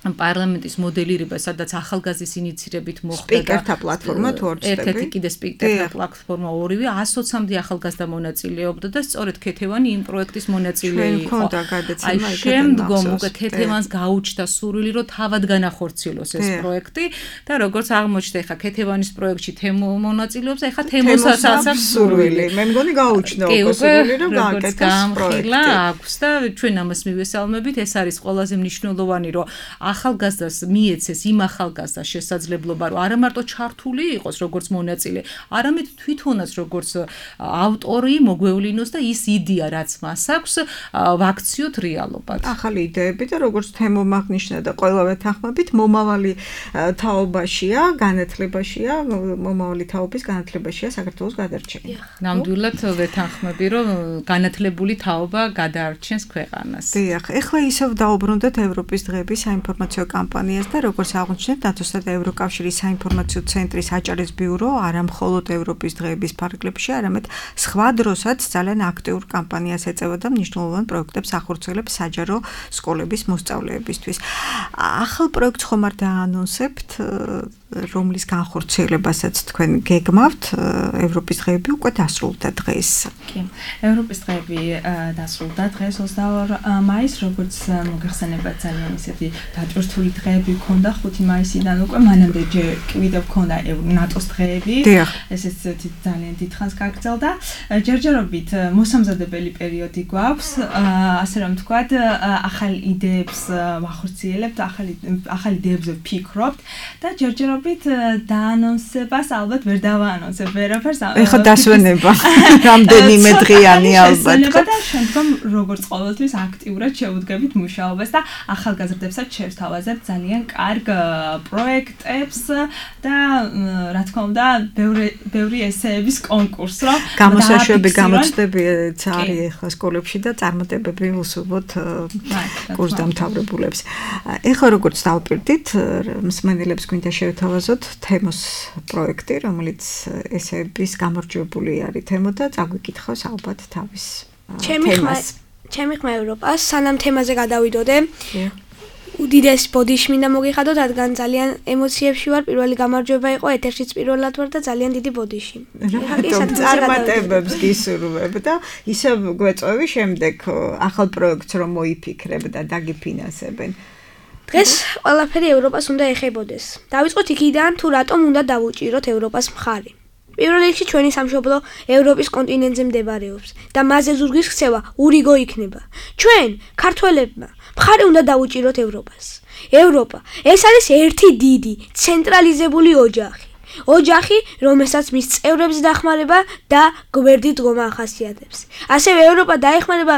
Speaker 3: პარლამენტის მოდელირება, სადაც ახალგაზრდის ინიციირებით მოხდა
Speaker 2: სპიკერთა პლატფორმა თუ
Speaker 3: ერთ-ერთი კიდე სპიკერთა პლატფორმა ორივე 120-მდე ახალგაზრდა მონაწილეობდა და სწორედ ქეთევანი იმ პროექტის მონაწილე იყო. აი შემდგომ უკვე ქეთევანს გაუჩნდა სურვილი, რომ თავად განახორციელოს ეს პროექტი და როგორც აღმოჩნდა, ეხა ქეთევანის პროექტში თემო მონაწილეობს, ეხა თემოსაც აქვს სურვილი.
Speaker 2: მე მგონი გაუჩნდა უკვე სურვილი, რომ გააკეთოს პროექტი.
Speaker 3: აქვს და ჩვენ ამას მივესალმებით, ეს არის ყველაზე მნიშვნელოვანი, რომ ახალგაზრდას მიეცეს იმ ახალგაზრდას შესაძლებლობა, რომ არა მარტო ჩართული იყოს როგორც მონაწილე, არამედ თვითონაც როგორც ავტორი მოგვევლინოს და ის იდეა, რაც მას აქვს, ვაქციოთ რეალობად.
Speaker 2: ახალი იდეები და როგორც თემომ აღნიშნა და ყველა ვეთანხმებით, მომავალი თაობაშია, განათლებაშია, მომავალი თაობის განათლებაშია საქართველოს გადარჩენა.
Speaker 3: ნამდვილად ვეთანხმები, რომ განათლებული თაობა გადაარჩენს ქვეყანას.
Speaker 2: დიახ, ეხლა ისევ დაუბრუნდეთ ევროპის დღეების საინფორმაციო კამპანიას და როგორც აღნიშნეთ, ნატოსა და ევროკავშირის საინფორმაციო ცენტრის აჭარის ბიურო არა მხოლოდ ევროპის დღეების ფარგლებში, არამედ სხვა დროსაც ძალიან აქტიურ კამპანიას ეწევა და მნიშვნელოვან პროექტებს ახორციელებს საჯარო სკოლების მოსწავლეებისთვის. ახალ პროექტს ხომ არ დაანონსებთ, რომლის განხორციელებასაც თქვენ გეგმავთ, ევროპის დღეები უკვე დასრულდა დღეს.
Speaker 4: კი, ევროპის დღეები დასრულდა დღეს 22 მაისს, როგორც მოგეხსენებათ ძალიან ისეთი დატვირთული დღეები ქონდა 5 მაისიდან უკვე, მანამდე კიდევ ქონდა ნატოს დღეები. ესეც ძალიან დიდხანს გაგრძელდა. ჯერჯერობით მოსამზადებელი პერიოდი გვაქვს, ასე რომ ვთქვათ, ახალ იდეებს ვახორციელებთ, ახალ იდეებზე ვფიქრობთ და ჯერჯერობით დაანონსებას ალბათ ვერ დავაანონსებ ვერაფერს.
Speaker 2: ეხლა დასვენება რამდენიმე დღიანი ალბათ.
Speaker 4: და შემდგომ როგორც ყოველთვის აქტიურად შევუდგებით მუშაობას და ახალგაზრდებსაც შევთავაზებთ ძალიან კარგ პროექტებს და რა თქმა უნდა ბევრი ესეების კონკურს, რომ
Speaker 2: გამოსაშვები გამოცდებიც არის ეხლა სკოლებში და წარმატებები უსურვოთ კურსდამთავრებულებს. ეხლა როგორც დავპირდით, მსმენელებს გვინდა შევთავაზოთ თემოს პროექტი, რომელიც ესეების გამარჯვებული არის თემო და წაგვიკითხავს ალბათ თავის თემას.
Speaker 5: ჩემი ხმა ევროპას, სანამ თემაზე გადავიდოდე, უდიდეს ბოდიში მინდა მოგიხადოთ, რადგან ძალიან ემოციებში ვარ. პირველი გამარჯვება იყო, ეთერშიც პირველად ვარ და ძალიან დიდი ბოდიში.
Speaker 2: წარმატებებს გისურვებ და ისე გვეწევი შემდეგ ახალ პროექტს რომ მოიფიქრებ და დაგიფინანსებენ.
Speaker 5: დღეს ყველაფერი ევროპას უნდა ეხებოდეს. დავიწყოთ იქიდან, თუ რატომ უნდა დავუჭიროთ ევროპას მხარი. პირველ რიგში ჩვენი სამშობლო ევროპის კონტინენტზე მდებარეობს და მასზე ზურგის ქცევა ურიგო იქნება. ჩვენ, ქართველებმა, მხარი უნდა დავუჭიროთ ევროპას. ევროპა, ეს არის ერთი დიდი, ცენტრალიზებული ოჯახი. ოჯახი, რომელსაც მის წევრებს დახმარება და გვერდით დგომა ახასიათებს. ასევე ევროპა დაეხმარება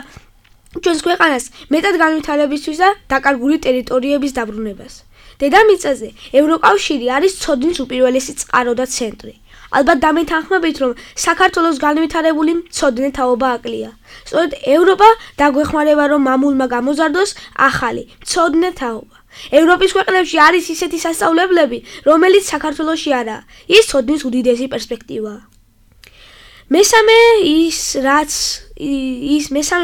Speaker 5: ჩვენს ქვეყანას მეტად განვითარებისთვის და დაკარგული ტერიტორიების დაბრუნებას. დედამიწაზე ევროკავშირი არის ცოდნის უპირველესი წყარო და ცენტრი. ალბათ დამეთანხმებით, რომ საქართველოს განვითარებული მცოდნე თაობა აკლია. სწორედ ევროპა დაგვეხმარება, რომ მამულმა გამოზარდოს ახალი მცოდნე თაობა. ევროპის ქვეყნებში არის ისეთი სასწავლებლები, რომელიც საქართველოში არაა. ის ცოდნის უდიდესი პერსპექტივაა. მესამე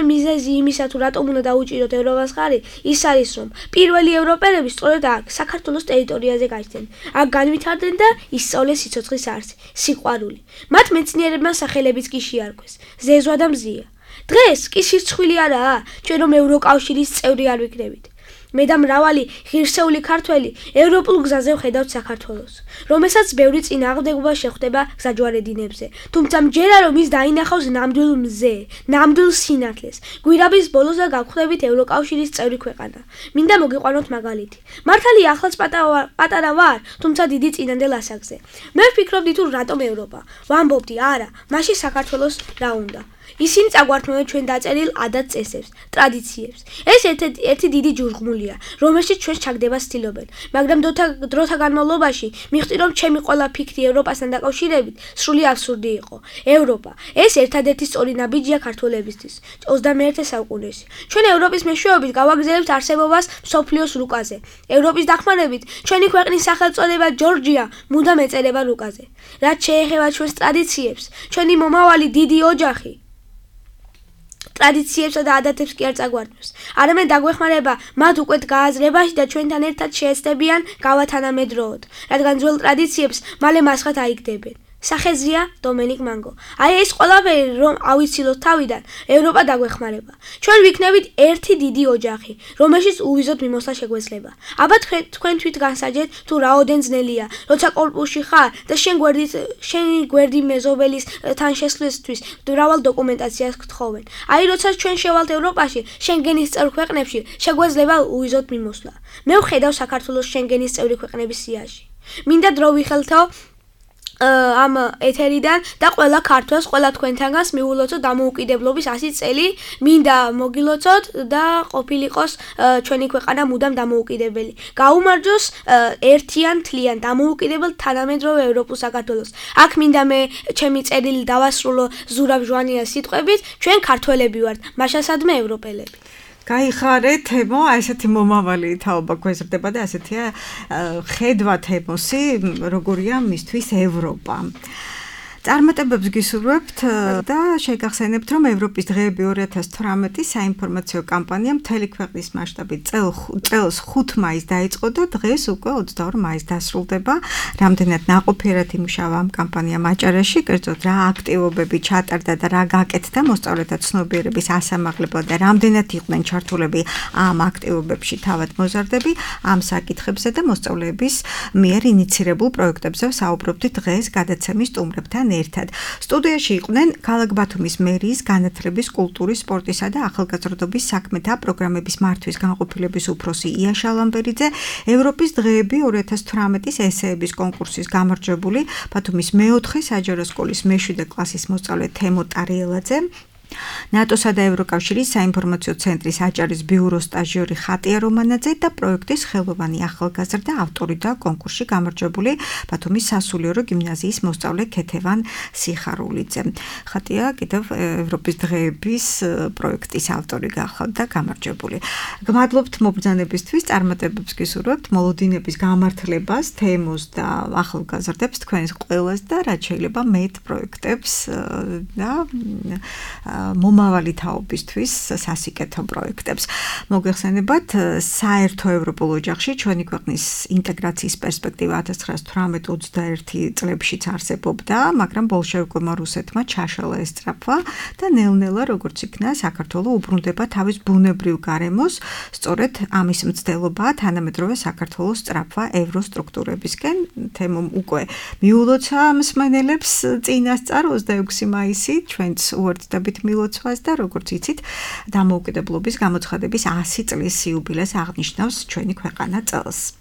Speaker 5: მიზეზი იმისა, თუ რატომ უნდა დაუჭიროთ ევროპას მხარი, ის არის, რომ პირველი ევროპელები სწორედ აქ, საქართველოს ტერიტორიაზე გაჩნდნენ. აქ განვითარდნენ და ისწავლეს სიცოცხლის არსი, სიყვარული. მათ მეცნიერებმა სახელებიც კი შეარქვეს: ზეზვა და მზია. დღეს კი სირცხვილი არაა, ჩვენ რომ ევროკავშირის წევრი არ ვიქნებით. მე და მრავალი ღირსეული ქართველი ევროპულ გზაზე ვხედავთ საქართველოს, რომელსაც ბევრი წინააღმდეგობა შეხვდება გზაჯვარედინებზე. თუმცა მჯერა რომ ის დაინახავს ნამდვილ მზე, ნამდვილ სინათლეს. გვირაბის ბოლოსა გავხვდებით ევროკავშირის წევრი ქვეყანა. მინდა მოგიყვანოთ მაგალითი. მართალია ახლაც პატარა ვარ, თუმცა დიდი წინანდელ ასაკზე. მე ვფიქრობდი თუ რატომ ევროპა? ვამბობდი, არა, მაშინ საქართველოს რა უნდა. ისინი წაგვართმევენ ჩვენ დაწერილ ადათ-წესებს, ტრადიციებს. ეს ერთი დიდი ჯუღმულია, რომელშიც ჩვენ ჩაგდებას ცდილობენ, მაგრამ დროთა განმავლობაში მივხვდი, რომ ჩემი ყველა ფიქრი ევროპასთან დაკავშირებით სრული აბსურდი იყო. ევროპა, ეს ერთადერთი სწორი ნაბიჯია ქართველებისთვის 21 საუკუნეში. ჩვენ ევროპის მეშვეობით გავაგზავნებთ არსებობას მსოფლიოს რუკაზე. ევროპის დახმარებით ჩვენი ქვეყნის სახელწოდება ჯორჯია მუდამ ეწერება რუკაზე. რაც შეეხება ჩვენს ტრადიციებს, ჩვენი მომავალი დიდი ოჯახი ტრადიციებსა და ადათებს კი არ წაგვართმევს. არამედ დაგვეხმარება მათ უკვე გააზრებაში და ჩვენთან ერთად შეეცდებიან გავათანამედროვოთ, რადგან ძველ ტრადიციებს მალე მასხად აიგდებენ. სახეზია დომენიკ მანგო. აი ეს ყველაფერი რომ ავიცილოთ თავიდან, ევროპა დაგვეხმარება. ჩვენ ვიქნებით ერთი დიდი ოჯახი, რომელშიც უვიზოთ მიმოსვლა შეგვეძლება. აბა თქვენ თვით განსაჯეთ თუ რაოდენ ძნელია, როცა კორპუსში ხარ და შენი გვერდი მეზობელის თან შესვლისთვის მრავალ დოკუმენტაციას გთხოვენ. აი როცა ჩვენ შევალთ ევროპაში, შენგენის წევრ ქვეყნებში, შეგვეძლება უვიზოთ მიმოსვლა. მე ვხედავ საქართველოს შენგენის წევრი ქვეყნების სიაში. მინდა დრო ვიხელთო ამ ეთერიდან და ყველა ქართველს, ყველა თქვენთანგანს მიულოცოთ დამოუკიდებლობის 100 წელი, მინდა მოგილოცოთ და ყოფილიყოს ჩვენი ქვეყანა მუდამ დამოუკიდებელი. გაუმარჯოს ერთიან თლიან დამოუკიდებელ თანამედროვე ევროპულ საქართველოს. აქ მინდა მე ჩემი წერილი დავასრულო ზურაბ ჟვანიას სიტყვებით, ჩვენ ქართველები ვართ, მაშასადმე ევროპელები.
Speaker 2: გაიხარე თემო, ესეთი მომავალი თაობა გვეზრდება და ასეთია ხედვა თემოსი, როგორია მისთვის ევროპა. წარმატებებს გისურვებთ და შეგახსენებთ, რომ ევროპის დღეები 2018 საინფორმაციო კამპანია მთელი ქვეყნის მასშტაბით წელს 5 მაისს დაიწყო და დღეს უკვე 22 მაისს დასრულდება. რამდენად ნაყოფიერად იმუშავა ამ კამპანიამ აჭარაში, კერძოდ რა აქტივობები ჩატარდა და რა გაკეთდა მოსწავლეთა ცნობიერების ასამაღლებლად და რამდენად იყვნენ ჩართულები ამ აქტივობებში თავად მოზარდები, ამ საკითხებზე და მოსწავლეების მიერ ინიცირებულ პროექტებზე საუბრობთ დღეს გადაცემის სტუმრებთან ერთად. სტუდიაში იყვნენ ქალაქ ბათუმის მერიის განათლების, კულტურის, სპორტისა და ახალგაზრდობის საქმეთა პროგრამების მართვის განყოფილების უფროსი ია შალამბერიძე, ევროპის დღეები 2018-ის ესეების კონკურსის გამარჯვებული, ბათუმის მე-4 საჯარო სკოლის მე-7 კლასის მოსწავლე თემო ტარიელაძე, ნატოსა და ევროკავშირის საინფორმაციო ცენტრის აჭარის ბიუროს სტაჟიორი ხატია რომანაძე და პროექტის ხელოვანი ახალგაზრდა ავტორი და კონკურსში გამარჯვებული ბათუმის სასულიერო გიმნაზიის მოსწავლე ქეთევან სიხარულიძე. ხატია კიდევ ევროპის დღეების პროექტის ავტორი გახლავთ და გამარჯვებული. გმადლობთ მობრძანებისთვის, წარმატებებს გისურვებთ, მოლოდინების გამართლებას, თემოს და ახალგაზრდებს თქვენს ყველას და რაც შეიძლება მეტ პროექტებს და მომავალი თაობისთვის სასიკეთო პროექტებს. მოგეხსენებათ, საერთო ევროპულ ოჯახში ჩვენი ქვეყნის ინტეგრაციის პერსპექტივა 1918-21 წლებშიც არსებობდა, მაგრამ ბოლშევიკურმა რუსეთმა ჩაშალა ეს სწრაფვა და ნელ-ნელა როგორც იქნა, საქართველო უბრუნდება თავის ბუნებრივ გარემოს, სწორედ ამის მცდელობაა თანამედროვე საქართველოს სწრაფვა ევროსტრუქტურებისკენ. თემომ უკვე მიულოცა მსმენელებს წინასწარ 26 მაისი ჩვენც უერთდებით მილოცვას და როგორც იცით, დამოუკიდებლობის გამოცხადების 100 წლის იუბილეს აღნიშნავს ჩვენი ქვეყანა წელს.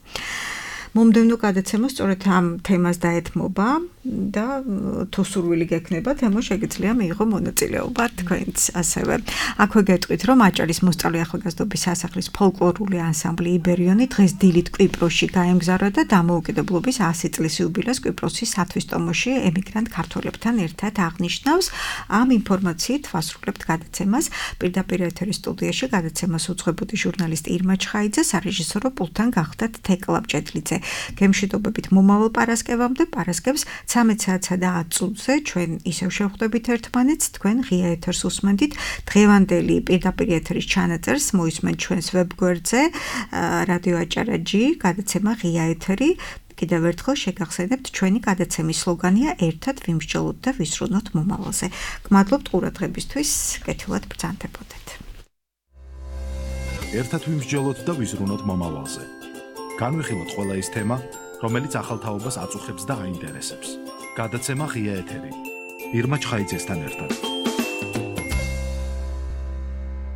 Speaker 2: მომდევნო გადაცემა სწორედ ამ თემას დაეთმობა და თუ სურვილი გექნება, თემო შეგიძლია მიიღო მონაწილეობა თქვენც ასევე. აქვე გეტყვით, რომ აჭარის მოსწავლე ახალგაზრდობის სასახლის ფოლკლორული ანსამბლი იბერიონი დღეს დილით კვიპროსში გაემგზავრა და დამოუკიდებლობის 100 წლის იუბილეს კვიპროსის სათვისტომოში ემიგრანტ ქართველებთან ერთად აღნიშნავს. ამ ინფორმაციით ვასრულებთ გადაცემას. პირდაპირ ეთერის სტუდიაში გადაცემას უძღვებოდი ჟურნალისტი ირმა ჩხაიძე, სარეჟისორო პულტთან გახდათ თეკლა ბჭედლიძე. გემშვიდობებით მომავალ პარასკევამდე, პარასკევს 13 საათსა და 10 წუთზე ჩვენ ისევ შევხვდებით ერთმანეთს, თქვენ ღია ეთერს უსმენთ. დღევანდელი პირდაპირ ეთერის ჩანაწერს მოისმენთ ჩვენს ვებგვერდზე რადიო აჭარა.jp, გადაცემა ღია ეთერი. კიდევ ერთხელ შეგახსენებთ, ჩვენი გადაცემის სლოგანია ერთად ვიმსჯელოთ და ვისრულოთ მომავალზე. გმადლობთ ყურადღებისთვის, კეთილად ბრძანდებოდეთ.
Speaker 1: ერთად ვიმსჯელოთ და ვიზრუნოთ მომავალზე. განვიხილოთ ყველა ის თემა, რომელიც ახალ თაობას აწუხებს და აინტერესებს. გადაცემა ღია ეთერი. ირმა ჩხაიძესთან ერთად.